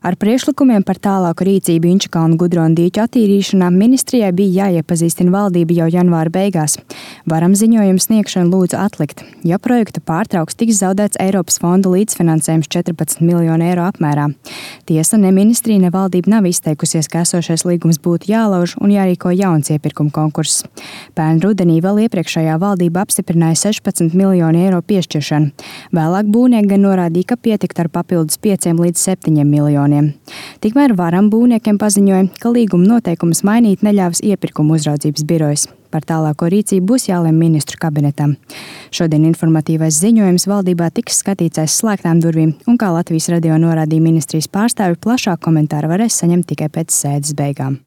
Ar priekšlikumiem par tālāku rīcību Inčukalnu Gudronu dīķu attīrīšanā ministrijai bija jāiepazīstina valdība jau janvāra beigās. Varam ziņojumu sniegšanu lūdzu atlikt. Ja projektu pārtrauks, tiks zaudēts Eiropas fonda līdzfinansējums 14 miljonu eiro apmērā. Tiesa, ne ministrija, ne valdība nav izteikusies, ka esošais līgums būtu jālauž un jārīko jauns iepirkuma konkurss. Pērn rudenī vēl iepriekšējā valdība apstiprināja 16 miljonu eiro piešķiršanu. Vēlāk būvnieki gan norādīja, ka pietikt ar papildus 5 līdz 7 miljoniem. Tikmēr Varam būvniekiem paziņoja, ka līguma noteikumus mainīt neļāvis iepirkuma uzraudzības birojas. Par tālāko rīcību būs jālemj ministru kabinetam. Šodien informatīvais ziņojums valdībā tiks skatīts aiz slēgtām durvīm, un kā Latvijas radio norādīja ministrijas pārstāvi, plašāku komentāru varēs saņemt tikai pēc sēdes beigām.